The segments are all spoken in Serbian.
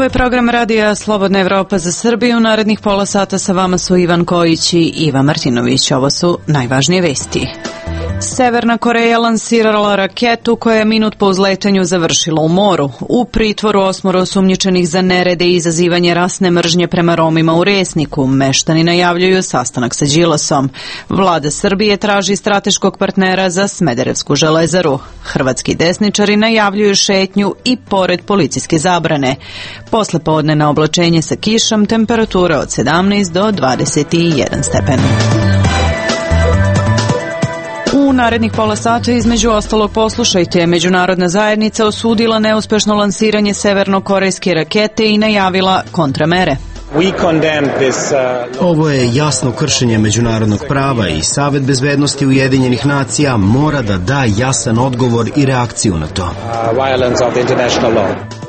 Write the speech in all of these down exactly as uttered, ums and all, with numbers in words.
Ovo je program radija Slobodna Evropa za Srbiju. Narednih pola sata sa vama su Ivan Kojić i Iva Martinović. Ovo su najvažnije vesti. Severna Koreja lansirala raketu koja je minut po uzletanju završila u moru. U pritvoru osmoro osumnjičenih za nerede i izazivanje rasne mržnje prema Romima u Resniku. Meštani najavljuju sastanak sa Đilasom. Vlada Srbije traži strateškog partnera za Smederevsku železaru. Hrvatski desničari najavljuju šetnju i pored policijske zabrane. Posle podne na oblačenje sa kišom, temperatura od sedamnaest do dvadeset jedan stepen. U narednih pola sata između ostalog poslušajte, međunarodna zajednica osudila neuspešno lansiranje severnokorejske rakete i najavila kontramere. Ovo je jasno kršenje međunarodnog prava i Savet bezbednosti Ujedinjenih nacija mora da da jasan odgovor i reakciju na to.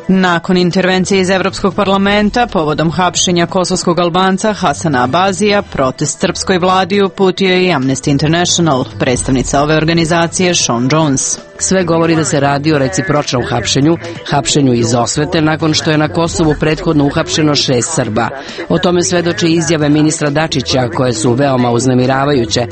Nakon intervencije iz Evropskog parlamenta povodom hapšenja kosovskog Albanca Hasana Abazija, protest srpskoj vladi uputio je i Amnesty International. Predstavnica ove organizacije Sean Jones. Sve govori da se radi o recipročnom hapšenju, hapšenju iz osvete nakon što je na Kosovu prethodno uhapšeno šest Srba. O tome svedoče izjave ministra Dačića koje su veoma uznemiravajuće.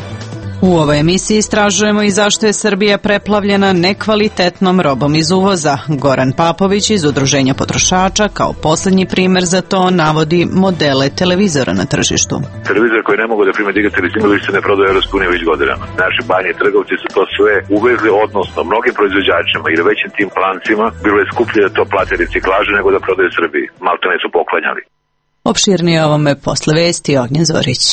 U ovoj emisiji istražujemo i zašto je Srbija preplavljena nekvalitetnom robom iz uvoza. Goran Papović iz Udruženja potrošača kao poslednji primer za to navodi modele televizora na tržištu. Televizor koji ne mogu da prime digitalni signal više se ne prodaju u Evropskoj uniji već godinama. Naši banje trgovci su to sve uvezli, odnosno mnogim proizvođačima ili većim tim lancima bilo je skuplje da to plate reciklaže nego da prodaju Srbiji. Maltene su poklanjali. Opširnije ovome posle vesti Ognjen Zorić.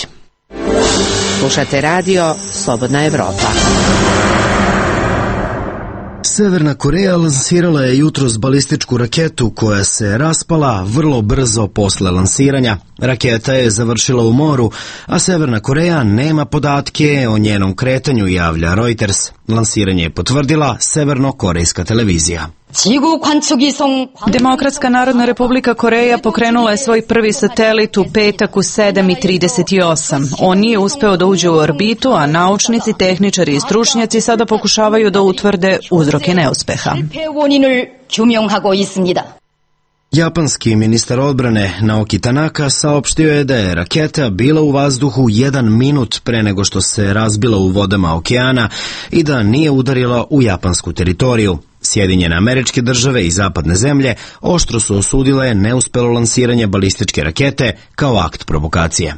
Slušate radio Slobodna Evropa. Severna Koreja lansirala je jutros balističku raketu koja se raspala vrlo brzo posle lansiranja. Raketa je završila u moru, a Severna Koreja nema podatke o njenom kretanju, javlja Reuters. Lansiranje je potvrdila severno-korejska televizija. Demokratska narodna republika Koreja pokrenula je svoj prvi satelit u petak u sedam i trideset osam. On nije uspeo da uđe u orbitu, a naučnici, tehničari i stručnjaci sada pokušavaju da utvrde uzroke neuspeha. Japanski ministar odbrane Naoki Tanaka saopštio je da je raketa bila u vazduhu jedan minut pre nego što se razbila u vodama okeana i da nije udarila u japansku teritoriju. Sjedinjene Američke Države i zapadne zemlje oštro su osudile neuspelo lansiranje balističke rakete kao akt provokacije.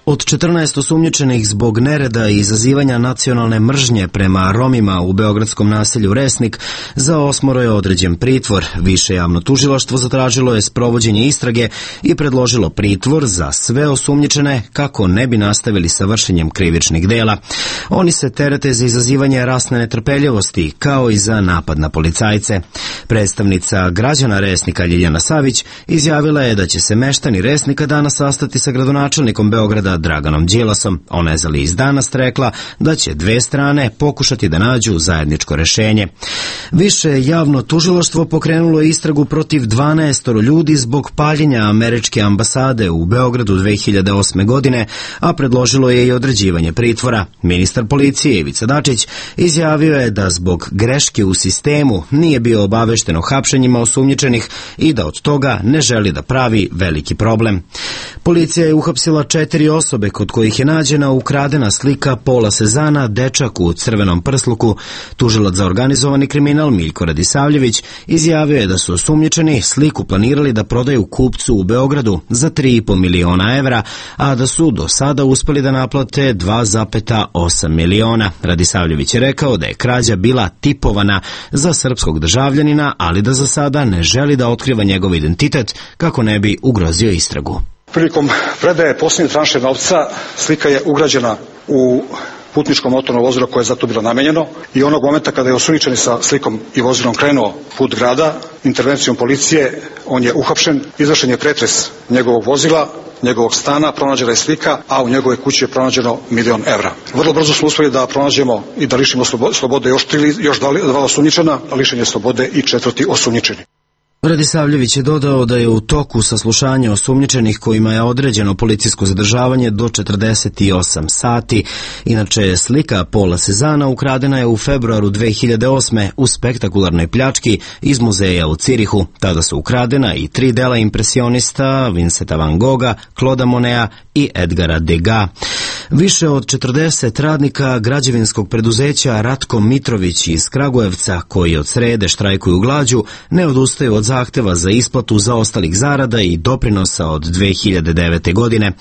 Od četrnaest osumnjičenih zbog nereda i izazivanja nacionalne mržnje prema Romima u beogradskom naselju Resnik, za osmoro je određen pritvor. Više javno tužilaštvo zatražilo je sprovođenje istrage i predložilo pritvor za sve osumnjičene kako ne bi nastavili sa vršenjem krivičnih dela. Oni se terete za izazivanje rasne netrpeljivosti, kao i za napad na policajce. Predstavnica građana Resnika Ljiljana Savić izjavila je da će se meštani Resnika danas sastati sa gradonačelnikom Beograda Draganom Đilasom. Ona je za list Danas rekla da će dve strane pokušati da nađu zajedničko rešenje. Više javno tužilaštvo pokrenulo istragu protiv dvanaest ljudi zbog paljenja američke ambasade u Beogradu dve hiljade osme. godine, a predložilo je i određivanje pritvora. Ministar policije Ivica Dačić izjavio je da zbog greške u sistemu nije bio obavešten o hapšenjima osumnjičenih i da od toga ne želi da pravi veliki problem. Policija je uhapsila četiri osobe kod kojih je nađena ukradena slika Pola Sezana, dečak u crvenom prsluku. Tužilac za organizovani kriminal Miljko Radisavljević izjavio je da su osumnjičeni sliku planirali da prodaju kupcu u Beogradu za tri i po miliona evra, a da su do sada uspeli da naplate dva zarez osam miliona. Radisavljević je rekao da je krađa bila tipovana za srpskog državljanina, ali da za sada ne želi da otkriva njegov identitet kako ne bi ugrozio istragu. Prilikom predaje posljednje tranše novca slika je ugrađena u putničko motorno vozilo koje je za to bilo namenjeno i onog momenta kada je osumnjičeni sa slikom i vozilom krenuo put grada, intervencijom policije on je uhapšen, izvršen je pretres njegovog vozila, njegovog stana, pronađena je slika, a u njegove kući je pronađeno milion evra. Vrlo brzo smo uspeli da pronađemo i da lišimo slobode još, tri, još dva osumnjičena, a lišen je slobode i četvrti osumnjičeni. Radisavljević je dodao da je u toku saslušanja osumnjičenih kojima je određeno policijsko zadržavanje do četrdeset osam sati. Inače, slika Paula Cezana ukradena je u februaru dve hiljade osme u spektakularnoj pljački iz muzeja u Cirihu. Tada su ukradena i tri dela impresionista Vincenta van Gogha, Clauda Moneta i Edgara Degas. Više od četrdeset radnika građevinskog preduzeća Ratko Mitrović iz Kragujevca, koji od srede štrajkuju glađu, ne odustaju od zahteva za isplatu zaostalih zarada i doprinosa od dve hiljade devete. godine.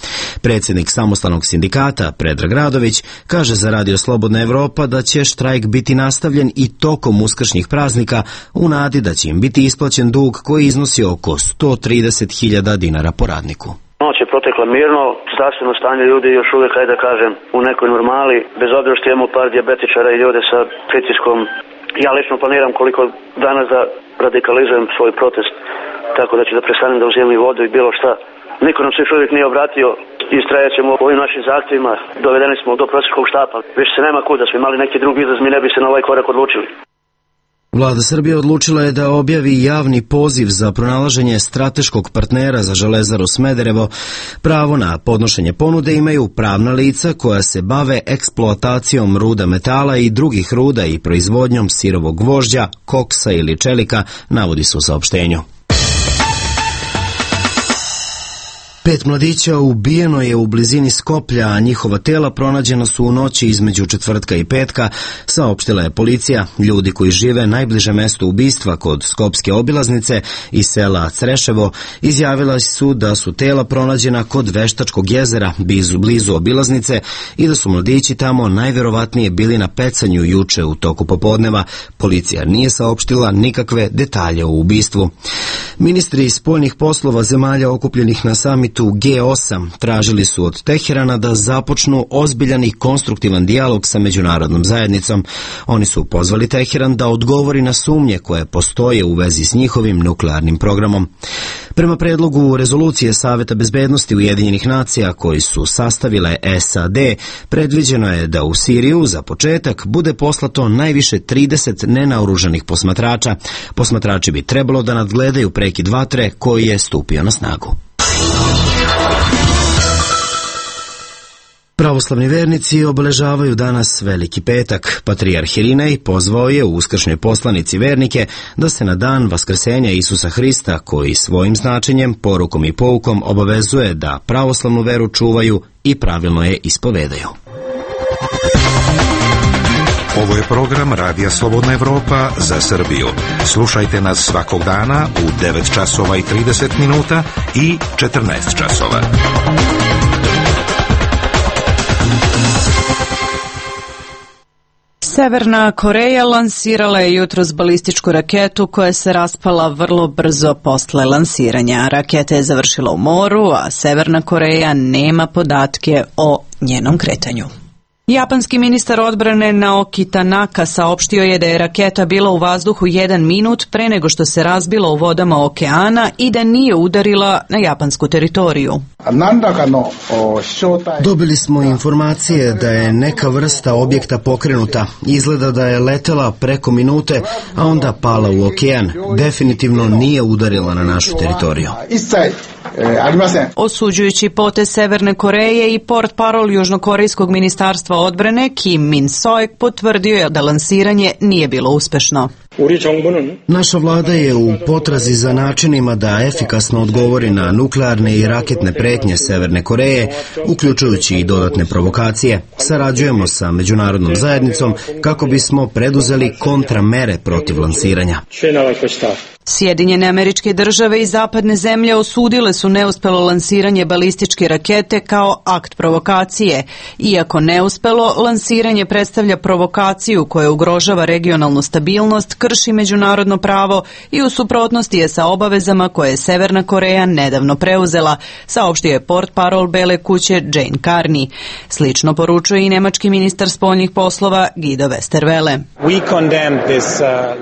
Predsjednik samostalnog sindikata Predrag Radović kaže za Radio Slobodna Evropa da će štrajk biti nastavljen i tokom uskršnjih praznika u nadi da će im biti isplaćen dug koji iznosi oko sto trideset hiljada dinara po radniku. Noć je protekla mirno, zdravstveno stanje ljudi još uvijek, hajde da kažem, u nekoj normali, bez obzira što imamo par dijabetičara i ljude sa pritiskom. Ja lično planiram koliko danas da radikalizujem svoj protest, tako da ću da prestanem da uzimam i vodu i bilo šta. Niko nam se još uvijek nije obratio, istrajat ćemo u ovim našim zahtjevima, dovedeni smo do prosječkog štapa, više se nema kuda, smo imali neki drugi izlaz, mi ne bi se na ovaj korak odlučili. Vlada Srbije odlučila je da objavi javni poziv za pronalaženje strateškog partnera za Železaru Smederevo. Pravo na podnošenje ponude imaju pravna lica koja se bave eksploatacijom ruda metala i drugih ruda i proizvodnjom sirovog gvožđa, koksa ili čelika, navodi se u saopštenju. Pet mladića ubijeno je u blizini Skoplja, a njihova tela pronađena su u noći između četvrtka i petka, saopštila je policija. Ljudi koji žive najbliže mesto ubistva kod skopske obilaznice i sela Creševo izjavila su da su tela pronađena kod Veštačkog jezera, blizu, blizu obilaznice, i da su mladići tamo najverovatnije bili na pecanju juče u toku popodneva. Policija nije saopštila nikakve detalje o ubistvu. Ministri spoljnih poslova zemalja okupljenih na samitu G osam tražili su od Teherana da započnu ozbiljan i konstruktivan dijalog sa međunarodnom zajednicom. Oni su pozvali Teheran da odgovori na sumnje koje postoje u vezi s njihovim nuklearnim programom. Prema predlogu rezolucije Saveta bezbednosti Ujedinjenih nacija koji su sastavile S A D, predviđeno je da u Siriju za početak bude poslato najviše trideset nenaoružanih posmatrača. Posmatrači bi trebalo da nadgledaju prekid vatre koji je stupio na snagu. Pravoslavni vernici obeležavaju danas Veliki petak. Patrijarh Irinej pozvao je u uskršnjoj poslanici vernike da se na dan vaskrsenja Isusa Hrista, koji svojim značenjem, porukom i poukom obavezuje da pravoslavnu veru čuvaju i pravilno je ispovedaju. Ovo je program Radija Slobodna Evropa za Srbiju. Slušajte nas svakog dana u devet časova i trideset minuta i četrnaest časova. Severna Koreja lansirala je jutros balističku raketu koja se raspala vrlo brzo posle lansiranja. Raketa je završila u moru, a Severna Koreja nema podatke o njenom kretanju. Japanski ministar odbrane Naoki Tanaka saopštio je da je raketa bila u vazduhu jedan minut pre nego što se razbila u vodama okeana i da nije udarila na japansku teritoriju. Dobili smo informacije da je neka vrsta objekta pokrenuta. Izgleda da je letela preko minute, a onda pala u okean. Definitivno nije udarila na našu teritoriju. Osuđujući potez Severne Koreje i portparol Južnokorejskog ministarstva odbrane Kim Min-soek potvrdio je da lansiranje nije bilo uspešno. Naša vlada je u potrazi za načinima da efikasno odgovori na nuklearne i raketne pretnje Severne Koreje, uključujući i dodatne provokacije. Sarađujemo sa međunarodnom zajednicom kako bismo preduzeli kontramere protiv lansiranja. Sjedinjene Američke Države i zapadne zemlje osudile su neuspelo lansiranje balističke rakete kao akt provokacije. Iako neuspelo, lansiranje predstavlja provokaciju koja ugrožava regionalnu stabilnost, krši međunarodno pravo i u suprotnosti je sa obavezama koje je Severna Koreja nedavno preuzela, saopštio je portparol Bele kuće Jane Carney. Slično poručuje i nemački ministar spoljnih poslova Guido Westerwelle.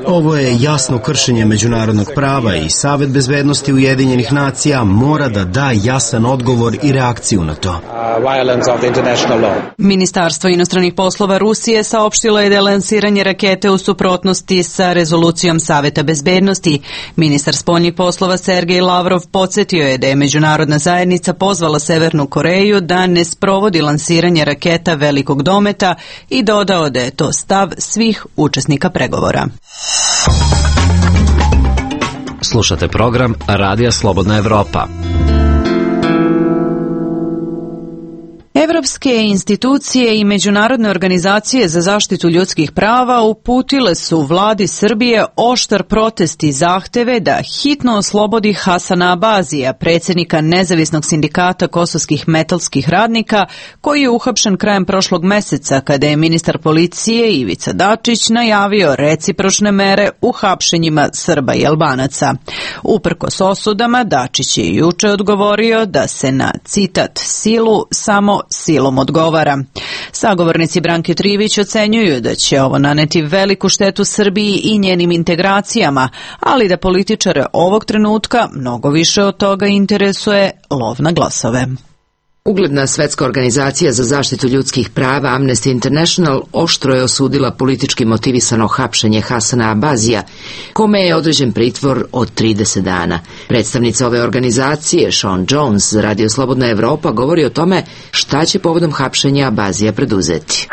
Ovo je jasno kršenje međunarodnog međunarodnog prava i Savet bezbednosti Ujedinjenih nacija mora da da jasan odgovor i reakciju na to. Ministarstvo inostranih poslova Rusije saopštilo je da je lansiranje rakete u suprotnosti sa rezolucijom Saveta bezbednosti. Ministar spoljnih poslova Sergej Lavrov podsjetio je da je međunarodna zajednica pozvala Severnu Koreju da ne sprovodi lansiranje raketa velikog dometa i dodao da je to stav svih učesnika pregovora. Slušate program Radija Slobodna Evropa. Evropske institucije i međunarodne organizacije za zaštitu ljudskih prava uputile su vladi Srbije oštar protest i zahteve da hitno oslobodi Hasana Abazija, predsjednika nezavisnog sindikata kosovskih metalskih radnika, koji je uhapšen krajem prošlog meseca kada je ministar policije Ivica Dačić najavio recipročne mere u hapšenjima Srba i Albanaca. Uprkos osudama, Dačić je juče odgovorio da se na, citat, silu samo silom odgovara. Sagovornici Branke Trivić ocenjuju da će ovo naneti veliku štetu Srbiji i njenim integracijama, ali da političare ovog trenutka mnogo više od toga interesuje lov na glasove. Ugledna svetska organizacija za zaštitu ljudskih prava Amnesty International oštro je osudila politički motivisano hapšenje Hasana Abazija, kome je određen pritvor od trideset dana. Predstavnica ove organizacije, Sean Jones, za Radio Slobodna Evropa, govori o tome šta će povodom hapšenja Abazija preduzeti.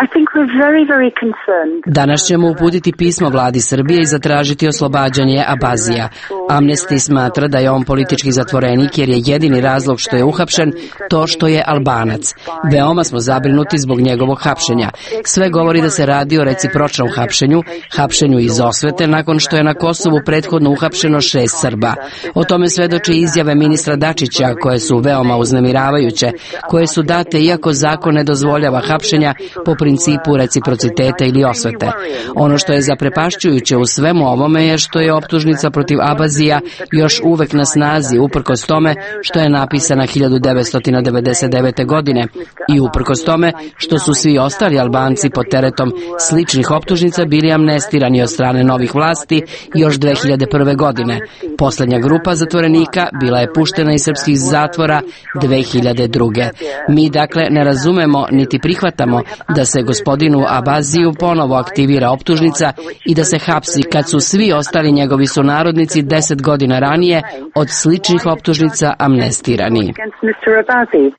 Danas ćemo uputiti pismo vladi Srbije i zatražiti oslobađanje Abazija. Amnesty smatra da je on politički zatvorenik jer je jedini razlog što je uhapšen to što je Albanac. Veoma smo zabrinuti zbog njegovog hapšenja. Sve govori da se radi o recipročnom hapšenju, hapšenju iz osvete nakon što je na Kosovu prethodno uhapšeno šest Srba. O tome svedoče izjave ministra Dačića koje su veoma uznemiravajuće, koje su date iako zakon ne dozvoljava hapšenja po principu reciprociteta ili osvete. Ono što je zaprepašćujuće u svemu ovome je što je optužnica protiv Abazija još uvek na snazi uprkos tome što je napisana hiljadu devetsto devedeset devete. godine i uprkos tome što su svi ostali Albanci pod teretom sličnih optužnica bili amnestirani od strane novih vlasti još dve hiljade prve. godine. Poslednja grupa zatvorenika bila je puštena iz srpskih zatvora dve hiljade druge. Mi dakle ne razumemo niti prihvatamo da se gospodinu Abaziju ponovo aktivira optužnica i da se hapsi kad su svi ostali njegovi sunarodnici deset godina ranije od sličnih optužnica amnestirani.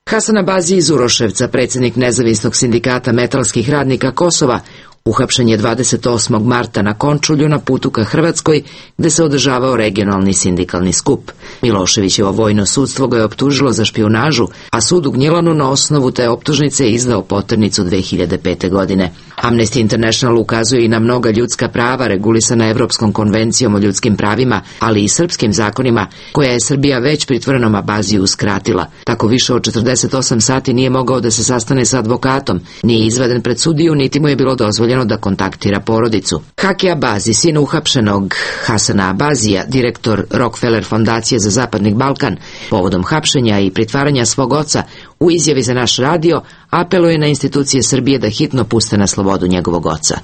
Hasan Abazi iz Uroševca, predsjednik nezavisnog sindikata metalskih radnika Kosova, uhapšen je dvadeset osmog marta na Končulju na putu ka Hrvatskoj, gde se održavao regionalni sindikalni skup. Miloševićevo vojno sudstvo ga je optužilo za špijunažu, a sud u Gnjilanu na osnovu te optužnice izdao poternicu dve hiljade pete. godine. Amnesty International ukazuje i na mnoga ljudska prava regulisana Evropskom konvencijom o ljudskim pravima, ali i srpskim zakonima, koja je Srbija već pritvorenom Abaziju uskratila. Tako više od četrdeset osam sati nije mogao da se sastane sa advokatom, nije izveden pred sudiju, niti mu je bilo dozvoljeno da kontaktira porodicu. Haki Abazi, sin uhapšenog Hasana Abazija, direktor Rockefeller fondacije za Zapadni Balkan, povodom hapšenja i pritvaranja svog oca, u izjavi za naš radio apeluje na institucije Srbije da hitno puste na slobodu njegovog oca.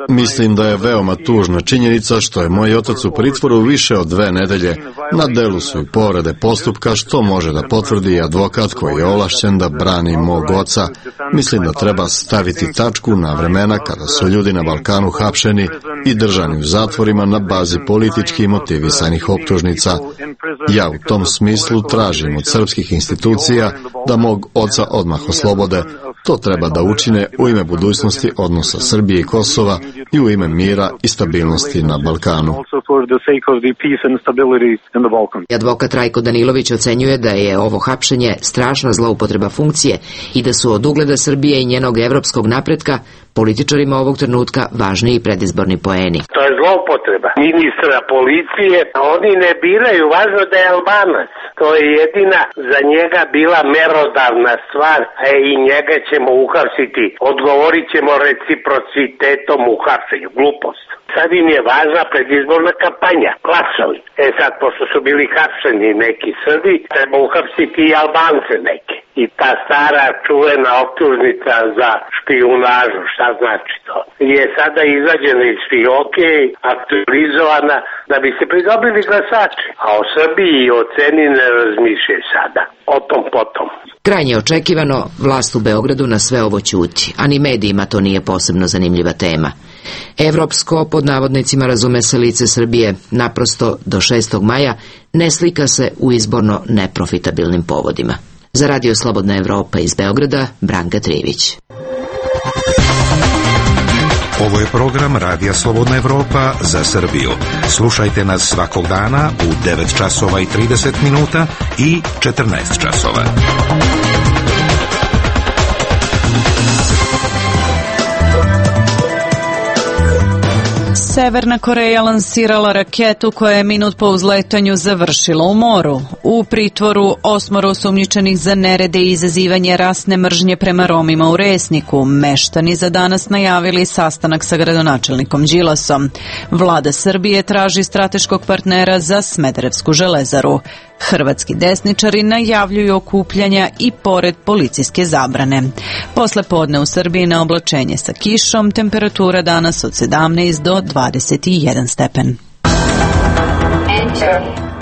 Mislim da je veoma tužna činjenica što je moj otac u pritvoru više od dve nedelje. Na delu su i povrede postupka, što može da potvrdi advokat koji je ovlašćen da brani mog oca. Mislim da treba staviti tačku na vremena kada su ljudi na Balkanu hapšeni i držani u zatvorima na bazi politički motivisanih optužnica. Ja u tom smislu tražim od srpskih institucija da mog oca odmah oslobode. To treba da učine u ime budućnosti odnosa Srbije i Kosova i u ime mira i stabilnosti na Balkanu. Advokat Rajko Danilović ocenjuje da je ovo hapšenje strašna zloupotreba funkcije i da su od ugleda Srbije i njenog evropskog napretka političarima ovog trenutka važni i predizborni poeni. To je zloupotreba ministra policije. Oni ne biraju, važno da je Albanac. To je jedina za njega bila merodavna stvar, a i njega ćemo uhapsiti. Odgovorit ćemo reciprocitetom u hapšenju. Glupost. Sad im je važna predizborna kampanja, glasovi. E sad, pošto su bili hapšeni neki Srbi, treba uhapsiti i Albance neke. I ta stara čuvena optužnica za špijunažu, šta znači to, je sada izađena iz fioke, aktualizovana da bi se pridobili glasači. A o Srbiji i o ceni ne razmišljaju sada. O tom potom. Krajnje očekivano, vlast u Beogradu na sve ovo ćuti, a ni medijima to nije posebno zanimljiva tema. Evropsko, pod navodnicima, razume se lice Srbije, naprosto do šestog maja ne slika se u izborno neprofitabilnim povodima. Za Radio Slobodna Evropa iz Beograda, Branka Trivić. Ovo je program Radija Slobodna Evropa za Srbiju. Slušajte nas svakog dana u devet časova i trideset minuta i četrnaest časova. Severna Koreja lansirala raketu koja je minut po uzletanju završila u moru. U pritvoru osmoro osumnjičenih za nerede i izazivanje rasne mržnje prema Romima u Resniku. Meštani za danas najavili sastanak sa gradonačelnikom Đilasom. Vlada Srbije traži strateškog partnera za Smederevsku železaru. Hrvatski desničari najavljuju okupljanja i pored policijske zabrane. Posle podne u Srbiji na oblačenje sa kišom, temperatura danas od sedamnaest do dvadeset jedan stepen.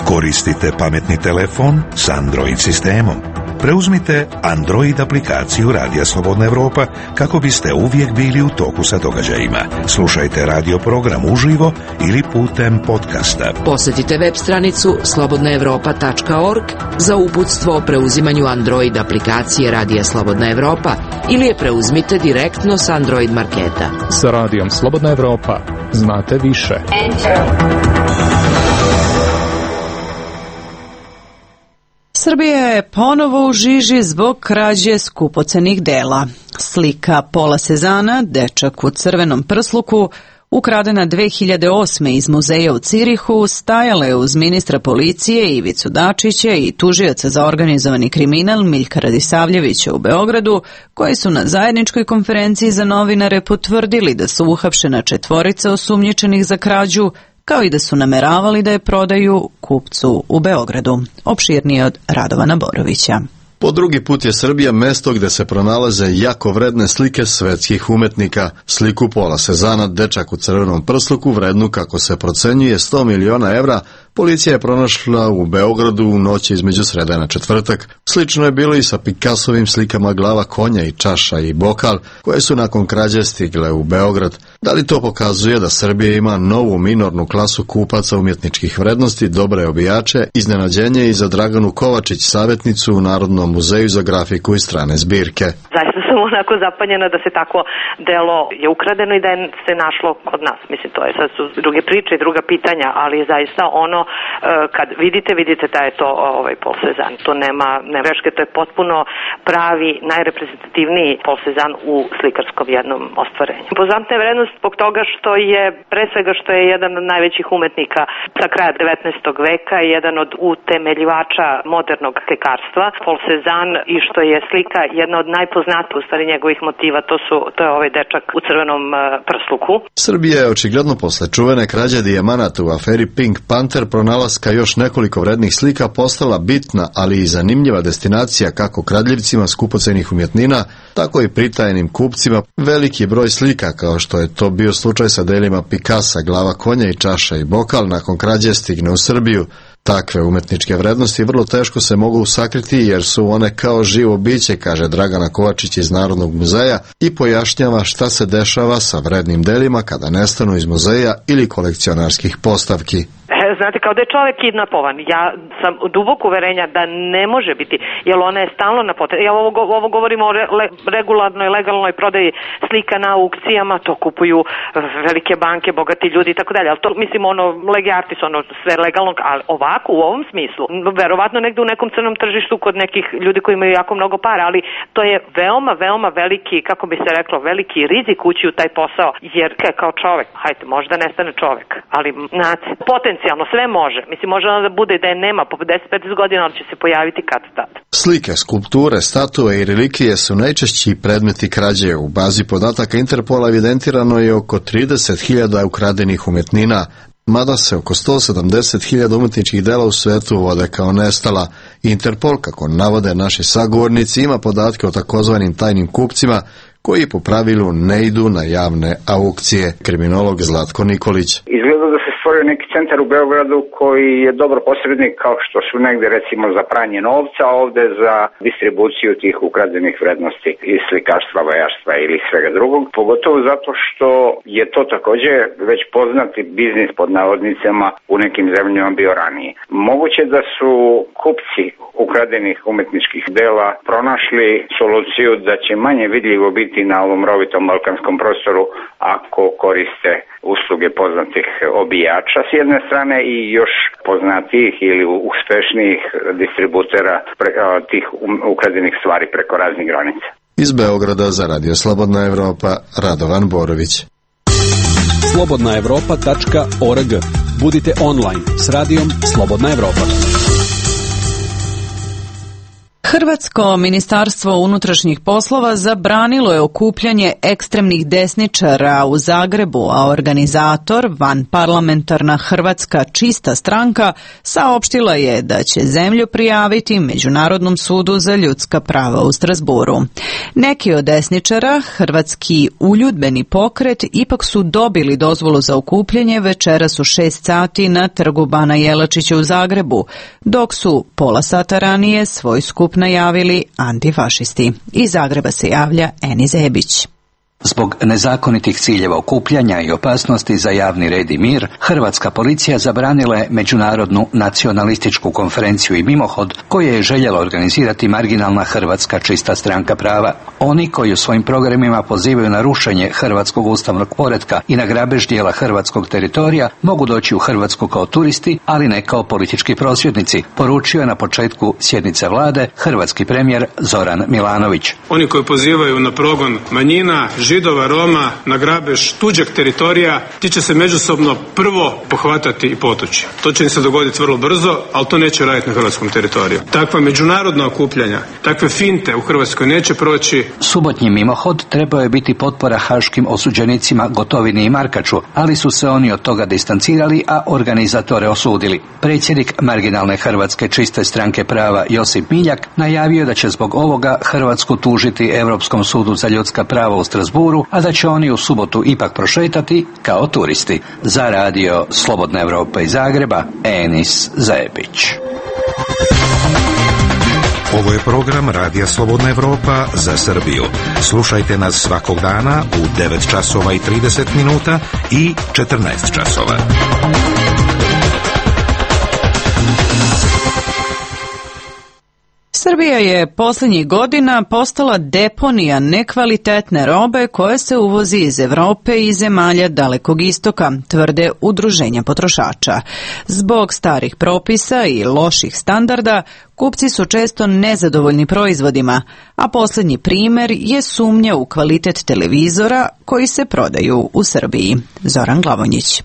Koristite pametni telefon s Android sistemom. Preuzmite Android aplikaciju Radija Slobodna Evropa kako biste uvijek bili u toku sa događajima. Slušajte radio program uživo ili putem podcasta. Posjetite web stranicu slobodna evropa tačka org za uputstvo o preuzimanju Android aplikacije Radija Slobodna Evropa ili je preuzmite direktno s Android marketa. Sa Radijom Slobodna Evropa znate više. Srbija je ponovo u žiži zbog krađe skupocenih dela. Slika Pola Sezana, dečak u crvenom prsluku, ukradena dve hiljade osme iz muzeja u Cirihu, stajala je uz ministra policije Ivicu Dačića i tužioca za organizovani kriminal Miljka Radisavljevića u Beogradu, koji su na zajedničkoj konferenciji za novinare potvrdili da su uhapšena četvorica osumnjičenih za krađu, kao i da su nameravali da je prodaju kupcu u Beogradu. Opširnije od Radovana Borovića. Po drugi put je Srbija mesto gde se pronalaze jako vredne slike svetskih umetnika. Sliku Pola Sezana, dečak u crvenom prsluku, vrednu, kako se procenjuje, sto miliona evra, policija je pronašla u Beogradu u noći između srede na četvrtak. Slično je bilo i sa Picassovim slikama glava konja i čaša i bokal, koje su nakon krađe stigle u Beograd. Da li to pokazuje da Srbija ima novu minornu klasu kupaca umjetničkih vrednosti, dobre obijače, iznenađenje i za Draganu Kovačić, savjetnicu u Narodnom muzeju za grafiku i strane zbirke? Zaista sam onako zapanjena da se tako delo je ukradeno i da je se našlo kod nas. Mislim, to je sad su druge priče i druga pitanja, ali zaista ono kad vidite, vidite da je to ovaj Pol Sezan. To nema ne greške, to je potpuno pravi, najreprezentativniji Pol Sezan u slikarskom jednom ostvarenju. Impozantna je vrednost zbog toga što je, pre svega što je jedan od najvećih umetnika sa kraja devetnaestog veka i jedan od utemeljivača modernog slikarstva, Pol Sezan, i što je slika jedna od najpoznatijih u stvari njegovih motiva, to su to je ovaj dečak u crvenom prsluku. Srbija je očigledno posle čuvene krađe dijamanata u aferi Pink Panther pronalaska još nekoliko vrednih slika postala bitna, ali i zanimljiva destinacija kako kradljivcima skupocenih umjetnina, tako i pritajenim kupcima. Veliki broj slika, kao što je to bio slučaj sa delima Picassa, glava konja i čaša i bokal, nakon krađe stigne u Srbiju. Takve umetničke vrednosti vrlo teško se mogu sakriti jer su one kao živo biće, kaže Dragana Kovačić iz Narodnog muzeja i pojašnjava šta se dešava sa vrednim delima kada nestanu iz muzeja ili kolekcionarskih postavki. Znate, kao da je čovjek kidnapovan. Ja sam duboko uverenja da ne može biti, jer ona je stalno na potrebi. Ja ovo, ovo govorimo o re, regularnoj, legalnoj prodaji slika na aukcijama, to kupuju velike banke, bogati ljudi i tako dalje. Ali to, mislim, ono, lege artis, ono, sve legalno, ali ovako, u ovom smislu, verovatno negde u nekom crnom tržištu kod nekih ljudi koji imaju jako mnogo para, ali to je veoma, veoma veliki, kako bi se reklo, veliki rizik ući u taj posao, jer kao čovjek, hajte, možda nestane čovjek, ali, znate, potencijalno sve može. Mislim, može ono da bude da je nema po deset do petnaest godina, ali će se pojaviti kad tad. Slike, skulpture, statue i relikvije su najčešći predmeti krađe. U bazi podataka Interpola evidentirano je oko trideset hiljada ukradenih umetnina. Mada se oko sto sedamdeset hiljada umetničkih dela u svetu vode kao nestala. Interpol, kako navode naši sagovornici, ima podatke o takozvanim tajnim kupcima koji po pravilu ne idu na javne aukcije. Kriminolog Zlatko Nikolić. Izgleda da se stvorio neki centar u Beogradu koji je dobro posrednik, kao što su negde recimo za pranje novca, a ovde za distribuciju tih ukradenih vrednosti iz slikarstva, vajarstva ili svega drugog. Pogotovo zato što je to takođe već poznati biznis pod navodnicama u nekim zemljama bio ranije. Moguće da su kupci ukradenih umetničkih dela pronašli soluciju da će manje vidljivo biti na ovom rovitom balkanskom prostoru ako koriste usluge poznatih obijača s jedne strane i još poznatijih ili uspešnijih distributera pre, tih ukradenih stvari preko raznih granica. Iz Beograda za Radio Slobodna Evropa, Radovan Borović. slobodna evropa tačka org. Budite online s radijom Slobodna Evropa. Hrvatsko ministarstvo unutrašnjih poslova zabranilo je okupljanje ekstremnih desničara u Zagrebu, a organizator, vanparlamentarna Hrvatska čista stranka, saopštila je da će zemlju prijaviti Međunarodnom sudu za ljudska prava u Strasburu. Neki od desničara, Hrvatski uljudbeni pokret, ipak su dobili dozvolu za okupljanje večeras u šest sati na trgu Bana Jelačića u Zagrebu, dok su pola sata ranije svoj skup najavili antifašisti. Iz Zagreba se javlja Eni Zebić. Zbog nezakonitih ciljeva okupljanja i opasnosti za javni red i mir, hrvatska policija zabranila je međunarodnu nacionalističku konferenciju i mimohod koju je željela organizirati marginalna Hrvatska čista stranka prava. Oni koji u svojim programima pozivaju na rušenje hrvatskog ustavnog poretka i na grabež dijela hrvatskog teritorija mogu doći u Hrvatsku kao turisti, ali ne kao politički prosvjednici, poručio je na početku sjednice vlade hrvatski premijer Zoran Milanović. Oni koji pozivaju na progon manjina, Židova, Roma, na grabež tuđeg teritorija, ti će se međusobno prvo pohvatati i potući. To će im se dogoditi vrlo brzo, ali to neće raditi na hrvatskom teritoriju. Takva međunarodna okupljanja, takve finte u Hrvatskoj neće proći. Subotnji mimohod trebao je biti potpora haškim osuđenicima Gotovini i Markaču, ali su se oni od toga distancirali, a organizatore osudili. Predsjednik marginalne Hrvatske čiste stranke prava Josip Miljak najavio da će zbog ovoga Hrvatsku tužiti Europskom sudu za ljudska prava u Strasburu, a da će oni u subotu ipak prošetati kao turisti. Za radio Slobodna Evropa iz Zagreba, Enis Zebić. Ovo je program Radija Slobodna Evropa za Srbiju. Slušajte nas svakog dana u devet časova i trideset minuta i četrnaest časova. Srbija je posljednjih godina postala deponija nekvalitetne robe koje se uvozi iz Evrope i zemalja Dalekog istoka, tvrde udruženja potrošača. Zbog starih propisa i loših standarda, kupci su često nezadovoljni proizvodima, a posljednji primjer je sumnja u kvalitet televizora koji se prodaju u Srbiji. Zoran Glavonjić.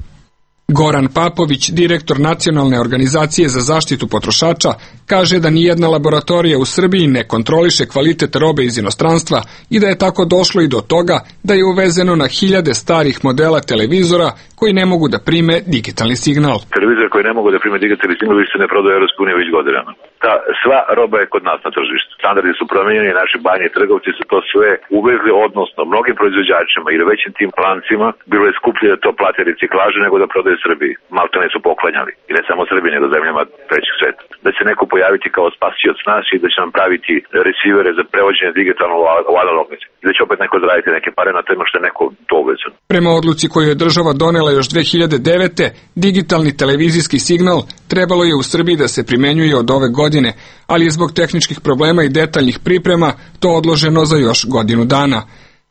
Goran Papović, direktor Nacionalne organizacije za zaštitu potrošača, kaže da nijedna laboratorija u Srbiji ne kontroliše kvalitet robe iz inostranstva i da je tako došlo i do toga da je uvezeno na hiljade starih modela televizora koji ne mogu da prime digitalni signal. Televizor koji ne mogu da prime digitalni signal više se ne prodaje u Europskoj uniji već godinama. Ta sva roba je kod nas na tržištu. Standardi su promijenjeni, naši banje trgovci su to sve uvezli, odnosno mnogim proizvođačima ili većim tim lancima bilo je skuplje da to plate reciklaže nego da prodaju Srbiji. Maltene su poklanjali. I ne samo Srbiji, nego zemljama trećeg sveta. Da će neko pojaviti kao spasioc nas i da će nam praviti resivere za prevođenje digitalno u analognici. I da će opet neko zaraditi neke pare na tema što je neko to uvezan. Prema odluci koju je država donela još dve hiljade devete. digitalni televizijski signal trebalo je u Srbiji da se primenjuje od ove godine, ali je zbog tehničkih problema i detaljnih priprema to odloženo za još godinu dana.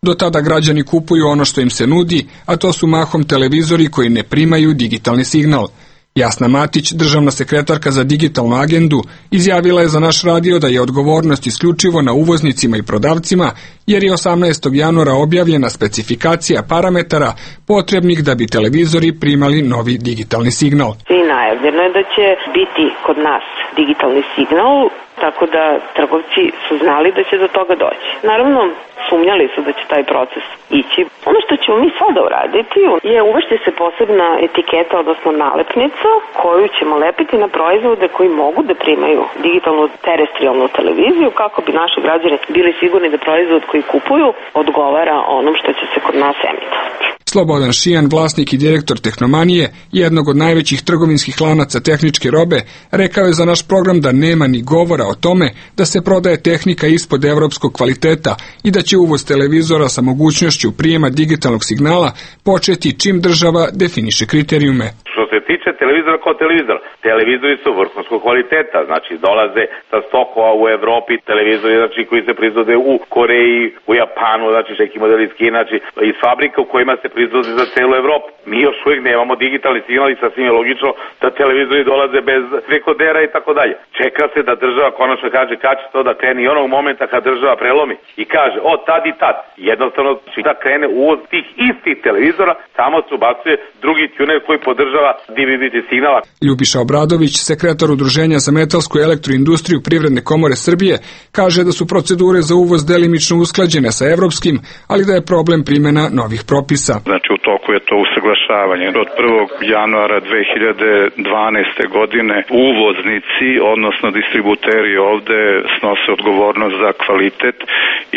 Do tada građani kupuju ono što im se nudi, a to su mahom televizori koji ne primaju digitalni signal. Jasna Matić, državna sekretarka za digitalnu agendu, izjavila je za naš radio da je odgovornost isključivo na uvoznicima i prodavcima, jer je osamnaestog januara objavljena specifikacija parametara potrebnih da bi televizori primali novi digitalni signal. I najavljeno je da će biti kod nas digitalni signal Tako da trgovci su znali da će do toga doći. Naravno, sumnjali su da će taj proces ići. Ono što ćemo mi sada uraditi je uvesti se posebna etiketa, odnosno nalepnica, koju ćemo lepiti na proizvode koji mogu da primaju digitalnu terestrijalnu televiziju, kako bi naši građani bili sigurni da proizvod koji kupuju odgovara onom što će se kod nas emitovati. Slobodan Šijan, vlasnik i direktor Tehnomanije, jednog od najvećih trgovinskih lanaca tehničke robe, rekao je za naš program da nema ni govora o tome da se prodaje tehnika ispod evropskog kvaliteta i da će uvoz televizora sa mogućnošću prijema digitalnog signala početi čim država definiše kriterijume. Što se tiče televizora kao televizora, televizori su vrhunskog kvaliteta, znači dolaze sa stokova u Evropi, televizori znači, koji se proizvode u Koreji, u Japanu, znači neki modeli iz Kine, znači iz fabrika u kojima se proizvode za celu Evropu. Mi još uvijek nemamo digitalni signal i sasvim je logično da televizori dolaze bez dekodera i tako dalje. Čeka se da država konačno kaže kad će to da krene i onog momenta kad država prelomi i kaže o tad i tad. Jednostavno da krene uvoz tih istih televizora, samo se ubacuje drugi tuner koji podržava D V B signala. Ljubiša Obradović, sekretar Udruženja za metalsku elektroindustriju Privredne komore Srbije, kaže da su procedure za uvoz delimično usklađene sa evropskim, ali da je problem primjena novih propisa. Znači u toku je to usaglašavanje. Od prvog januara dve hiljade dvanaeste. godine uvoznici, odnosno distributeri ovde snose odgovornost za kvalitet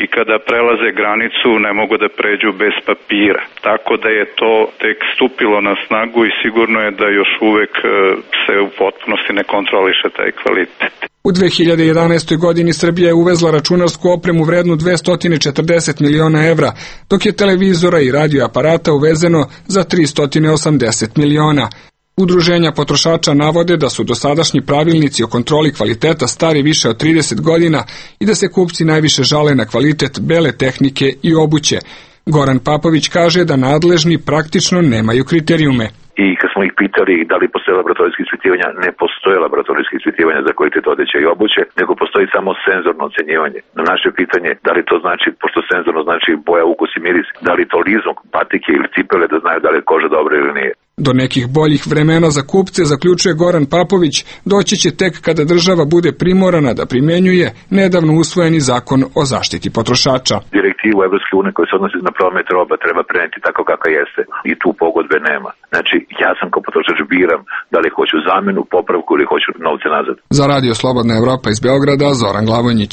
i kada prelaze granicu ne mogu da pređu bez papira. Tako da je to tek stupilo na snagu i sigurno je da još uvek se u potpunosti ne kontroliše taj kvalitet. U dve hiljade jedanaestoj. godini Srbija je uvezla računarsku opremu vrednu dvesta osamdeset miliona evra, dok je televizora i radioaparata uvezeno za trista osamdeset miliona. Udruženja potrošača navode da su dosadašnji pravilnici o kontroli kvaliteta stari više od trideset godina i da se kupci najviše žale na kvalitet bele tehnike i obuće. Goran Papović kaže da nadležni praktično nemaju kriterijume. I kad smo ih pitali da li postoje laboratorijske ispitivanja, ne postoje laboratorijske ispitivanja za kvalitet odeće i obuće, nego postoji samo senzorno ocenjivanje. Na naše pitanje da li to znači, pošto senzorno znači boja, ukus i miris, da li to lizom, patike ili cipele da znaju da li je koža dobra ili nije. Do nekih boljih vremena za kupce, zaključuje Goran Papović, doći će tek kada država bude primorana da primjenjuje nedavno usvojeni zakon o zaštiti potrošača. Direktivu Evropske unije koja se odnosi na promet roba treba preneti tako kakva jeste i tu pogodbe nema. Znači, ja sam kao potrošač biram da li hoću zamenu, popravku ili hoću novce nazad. Za Radio Slobodna Evropa iz Beograda, Zoran Glavonjić.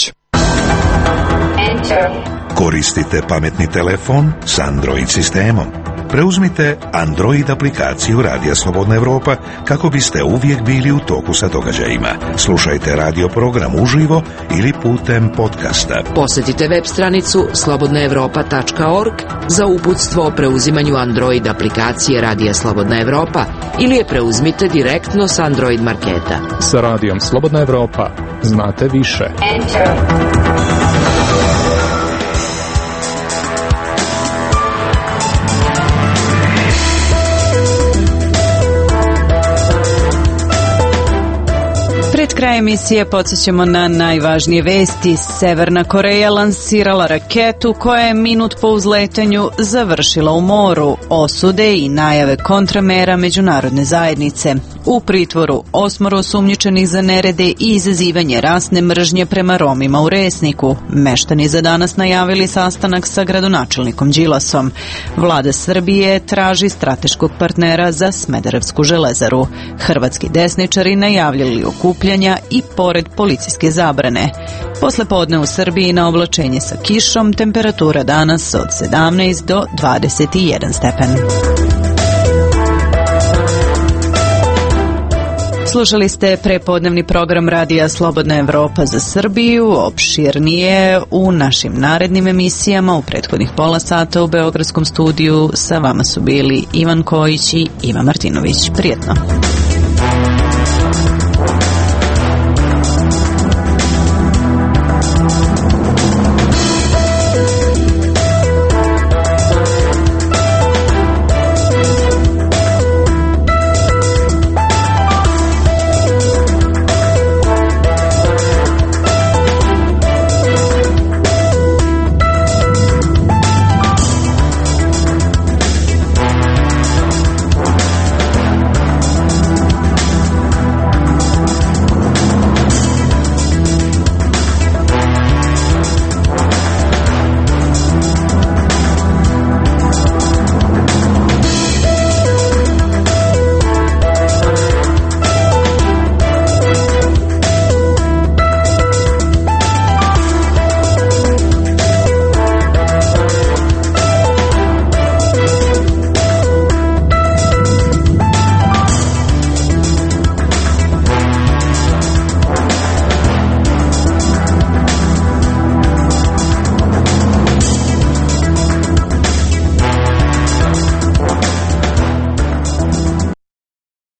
Koristite pametni telefon s Android sistemom. Preuzmite Android aplikaciju Radija Slobodna Evropa kako biste uvijek bili u toku sa događajima. Slušajte radio program uživo ili putem podcasta. Posjetite web stranicu slobodna evropa tačka org za uputstvo o preuzimanju Android aplikacije Radija Slobodna Evropa ili je preuzmite direktno s Android marketa. Sa Radijom Slobodna Evropa znate više. Enter. Pred kraj emisije podsjećamo na najvažnije vesti. Severna Koreja lansirala raketu koja je minut po uzletanju završila u moru. Osude i najave kontramera međunarodne zajednice. U pritvoru osmoro osumnjičenih za nerede i izazivanje rasne mržnje prema Romima u Resniku. Meštani za danas najavili sastanak sa gradonačelnikom Đilasom. Vlada Srbije traži strateškog partnera za Smederevsku železaru. Hrvatski desničari najavljali okupljanja i pored policijske zabrane. Posle podne u Srbiji na oblačenje sa kišom, temperatura danas od sedamnaest do dvadeset jedan stepen. Slušali ste prepodnevni program Radija Slobodna Evropa za Srbiju. Opširnije u našim narednim emisijama u prethodnih pola sata u Beogradskom studiju sa vama su bili Ivan Kojić i Iva Martinović. Prijetno.